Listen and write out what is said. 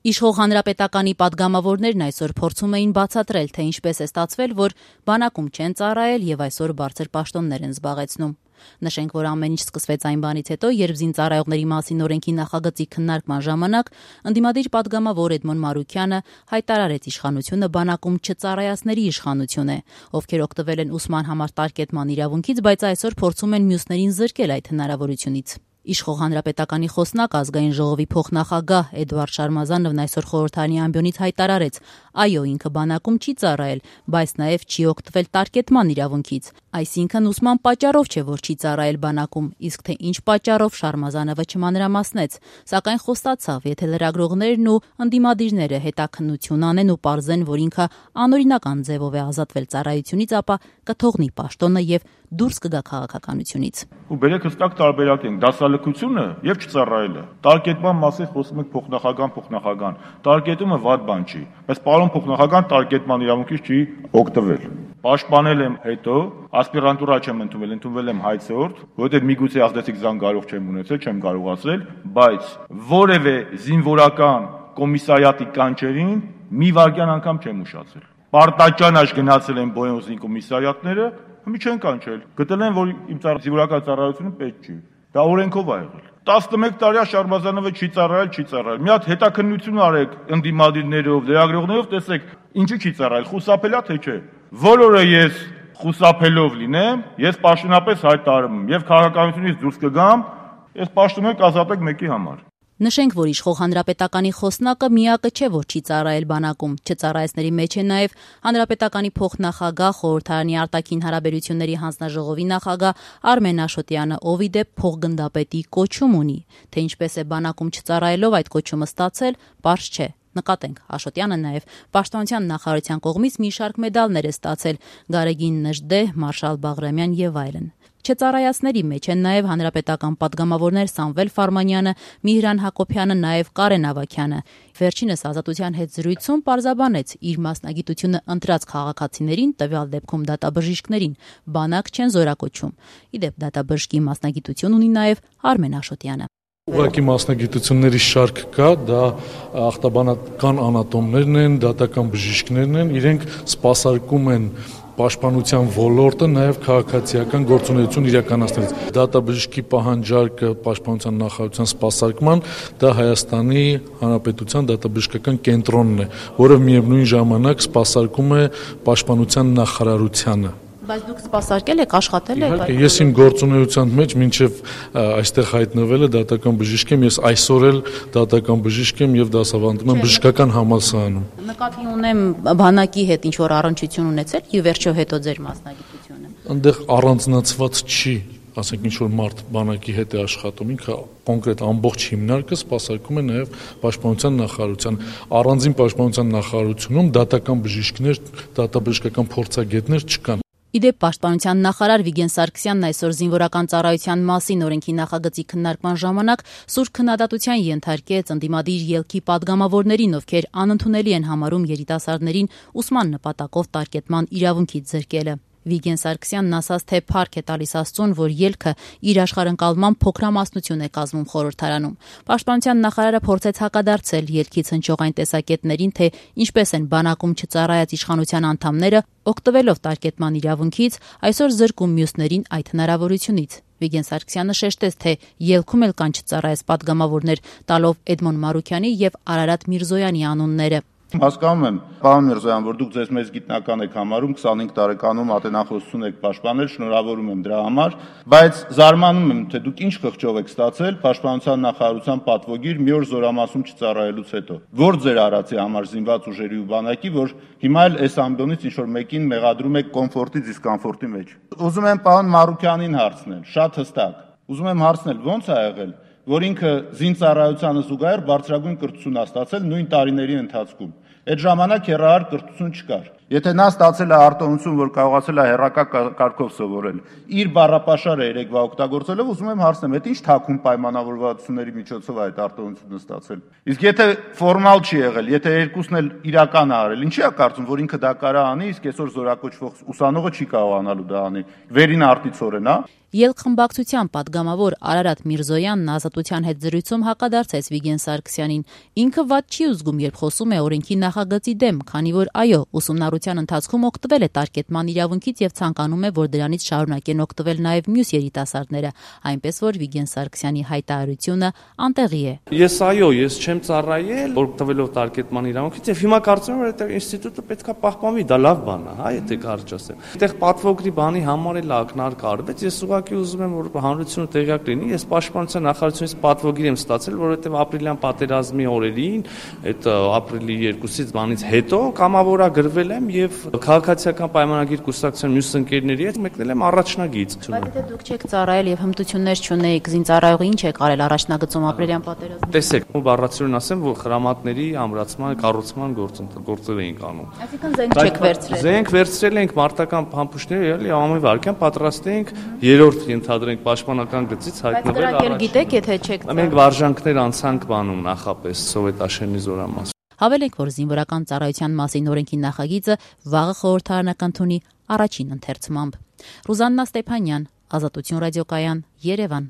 Իշխող հանրապետականի պատգամավորներն այսօր փորձում էին բացատրել, թե ինչպես է ստացվել, որ բանակում չեն ծառայել եւ այսօր բարձր պաշտոններ են զբաղեցնում։ Նշենք, որ ամեն ինչ սկսվեց այն բանից հետո, երբ զինծառայողների մասին օրենքի նախագծի քննարկման ժամանակ ընդդիմադիր պատգամավոր Էդմոն Մարուքյանը հայտարարեց իշխանությունը բանակում չծառայածների իշխանություն է, ովքեր օգտվել են ուսման համար տարկետման իրավունքից, բայց այսօր փորձում են մյուսներին զրկել այդ հնարավորությունից։ Իշխող հանրապետականի խոսնակ ազգային ժողովի փոխնախագահ Էդվարդ Շարմազանովն այսօր խորհրդարանի ամբիոնից հայտարարեց, այո, ինքը բանակում չի ծառայել, բայց նաև չի օգտվել տարկետման իրավունքից, այսինքն ուսման պատճառով չէ, որ չի ծառայել բանակում, իսկ թե ինչ պատճառով Շարմազանովը չմանրամասնեց, սակայն խոստացավ, եթե լրագրողներն ու ընդդիմադիրները հետաքննություն անեն ու պարզեն, որ ինքը անօրինական ձևով է ազատվել ծառայությունից, ապա կթողնի պաշտոնը եւ դուրս կգա քաղաքականությունից։ Ու բերեք հստակ տարբերակ ենք դասալքությունը եւ չծառայելը։ Տարկետման մասին խոսում ենք փոխնախագահան։ Տարկետումը վատ բան չի, բայց պարոն փոխնախագահան տարկետման իրավունքից չի օգտվել։ Պաշտպանել եմ հետո, ասպիրանտուրա չեմ ընդունվել եմ հայցորդ, որովհետեւ միգուցե ազդեցիկ զանգարող չեմ ունեցել, չեմ կարող ասել, բայց որևէ զինվորական կոմիսարիատի կանչերին մի վայրկյան անգամ չեմ ուշացել։ Պարտաճանաչ գնացել են Բոյոզին կոմիսարիատները, մի չեն կանչել։ Գտել են, որ իմ զինվորական ծառայությունը պետք չի։ Դա օրենքով ա եղել։ 11 տարի Շարմազանովը չի ծառայել։ Մի հատ հետաքննություն արեք ընդդիմադիրներով, լրագրողներով, տեսեք, ինչի չի ծառայել, խուսափելա թե չէ։ Բոլորը ես խուսափելով լինեմ, ես պաշտոնապես հայտարարում եմ, եւ քաղաքականությունից դուրս կգամ, ես պաշտոնը կազատեք մեկի համար։ Նշենք, որ իշխող հանրապետականի խոսնակը միակը չէ, որ չի ծառայել բանակում։ Չծառայեցների մեջ է նաև հանրապետականի փոխնախագահ, խորհրդարանի արտաքին հարաբերությունների հանձնաժողովի նախագահ Արմեն Աշոտյանը, ով ի դեպ փոխգնդապետի կոչում ունի։ Թե ինչպես է բանակում չծառայելով այդ կոչումը ստացել, պարզ չէ։ Նկատենք, Աշոտյանը նաև պաշտպանության նախարարության կողմից մի շարք մեդալներ է ստացել՝ Գարեգին Նժդեհ, Մարշալ Բաղրամյան եւ այլն։ Չծառայածների մեջ են նաև հանրապետական պատգամավորներ Սամվել Ֆարմանյանը, Միհրան Հակոբյանը, նաև Կարեն Ավագյանը։ Վերջինս Ազատության հետ զրույցում պարզաբանեց իր մասնագիտությունը ընտրած քաղաքացիներին, տվյալ դեպքում դատաբժիշկներին, բանակ չեն զորակոչում։ Ի դեպ դատաբժշկի մասնագիտություն ունի նաև Արմեն Աշոտյանը։ Ուղղակի մասնագիտությունների շարք կա, դա ախտաբանական անատոմներն են, դատական բժիշկներն են, իրենք սպասարկում են պաշտպանության ոլորտը նաև քաղաքացիական գործունեություն իրականացնելիս։ Դատաբժշկի պահանջարկը պաշտպանության նախարարության սպասարկման դա Հայաստանի Հանրապետության դատաբժշկական կենտրոնն է, որը միևնույն ժամանակ սպասարկում է պաշտպանության նախարարությանը։ Բայց դուք սպասարկել եք, աշխատել եք։ Իհարկե, ես իմ գործունեության մեջ մինչև այստեղ հայտնվելը դատական բժիշկ եմ, ես այսօր էլ դատական բժիշկ եմ եւ դասավանդում եմ բժշկական համալսարանում։ Նկատի ունեմ բանակի հետ ինչ որ առնչություն ունեցել ի վերջո հետո ձեր մասնագիտությունը։ Այնտեղ առանձնացված չի, ասենք ինչ որ մարդ բանակի հետ է աշխատում, ինքը կոնկրետ ամբողջ հիմնարկը սպասարկում է նաև պաշտպանության նախարարության։ Առանձին պաշտպանության նախարարությունում դատական բժիշկներ, դատաբժշկական փորձագետներ չկան։ Իդեպ պաշտպանության նախարար Վիգեն Սարգսյանն այսօր զինվորական ծառայության մասին օրենքի նախագծի քննարկման ժամանակ սուր քննադատության ենթարկեց ընդդիմադիր ելքի պատգամավորներին, ովքեր անընդունելի են համարում երիտասարդներին ուսման նպատակով տարկետման իրավունքից զրկելը։ Վիգեն Սարգսյանն ասաց, թե փառք է տալիս Աստծուն, որ ելքը իր աշխարհընկալման փոքրամասնություն է կազմում խորհրդարանում։ Պաշտպանության նախարարը փորձեց հակադարձել ելքից հնչող այն տեսակետներին, թե ինչպես են բանակում չծառայած իշխանության անդամները օգտվելով տարկետման իրավունքից այսօր զրկում մյուսներին այդ հնարավորությունից։ Վիգեն Սարգսյանը շեշտեց, թե ելքում էլ կան չծառայած պատգամավորներ, տալով Էդմոն Մարուքյանի եւ Արարատ Միրզոյանի անունները։ Հասկանում եմ, պարոն Միրզոյան, որ դուք ձեզ մեծ գիտնական եք համարում, 25 տարեկանում ատենախոսություն եք պաշտպանել, շնորհավորում եմ դրա համար, բայց զարմանում եմ, թե դուք ինչ խղճով եք ստացել պաշտպանության նախարարության պատվոգիր մի օր զորամասում չծառայելուց հետո։ Որ ձեր արածի համար զինված ուժերի ու բանակի, որ հիմա էլ այս ամբիոնից ինչ որ մեկին մեղադրում եք կոմֆորտի դիսկոմֆորտի մեջ։ Ուզում եմ պարոն Մարուքյանին հարցնել, շատ հստակ։ Ուզում եմ հարցնել, ո՞նց է եղել, որ ինքը զինծառայությանը զուգահեռ բարձրագույն կրթություն է ստացել նույն տարիների ընթացքում։ Այդ ժամանակ հեռահար կրթություն չկար։ Եթե նա ստացել է արտոնություն, որ կարողացել է հեռակա կարգով սովորել, իր բառապաշարը երեկվա օգտագործելով, ուզում եմ հարցնեմ, այդ ինչ թաքուն պայմանավորվածությունների միջոցով է այդ արտոնությունը ստացել։ Իսկ եթե ֆորմալ չի եղել, եթե երկուսն էլ իրական է արել, ինչի է կարծում, որ ինքը դա կարա անի, իսկ այսօր զորակոչվող ուսանողը չի կարողանալու դա անի։ Վերին արտիցորեն, հա։ Ելք խմբակցության պատգամավոր Արարատ Միրզոյանն Ազատության հաղորդության հետ զրույցում հակադարձեց Վիգեն Սարգսյանին։ Ինքը վատ չի ուզգում, երբ խոսում է օրենքի նախագծի դեմ, քանի որ այո, ուսումնառության ընթացքում օգտվել է տարկետման իրավունքից եւ ցանկանում է, որ դրանից շարունակեն օգտվել նաեւ մյուս երիտասարդները, այնպես որ Վիգեն Սարգսյանի հայտարարությունը անտեղի է։ Ես չեմ ծառայել օգտվելով տարկետման իրավունքից եւ հիմա կարծում եմ, որ այդ ինստիտուտը պետքա պահպանվի, դա լավ բան է, եթե կարճ ասեմ։ Այդտեղ պատվոգրի բանի համար էլ ակնարկ արվեց, ես ուղղակի ուզում եմ, որ հանրությունը տեղյակ լինի, ես պաշտպանության նախարարությունից պատվոգիր եմ ստացել, որովհետեւ ապրիլյան պատերազմի օրերին, այդ ապրիլի 2-ից բանից հետո կամավորագրվել եմ եւ քաղաքացիական պայմանագիր կուսակցության մյուս ընկերների հետ մեկնել եմ առաջնագիծ։ Բայց եթե դուք չեք ծառայել եւ հմտություններ չունեիք, զինծառայողի ինչ եք արել առաջնագծում ապրիլյան պատերազմի։ Տեսեք, բառացիորեն ասեմ, որ խրամատների ամրացման, կառուցման գործեր էինք անում։ Այսինքն զենք չեք վերցրել։ Զենք վերցրել ենք մարտական փամփուշտները, էլի ամեն վարքյան պատրաստ ենք 3-րդ ենթադրենք պաշտպանական գծից հայտնվել առաջ։ Բայց դրանք գիտեք, եթե չեք ծառայել։ Մենք վարժանքներ անցանք բանում նախապես սովետաշենի զորամաս։ Հավելենք, որ զինվորական ծառայության մասին օրենքի նախագիծը վաղը խորհրդարանական թունի առաջին ընթերցմամբ։ Ռուզաննա Ստեփանյան, Ազատություն ռադիոկայան, Երևան։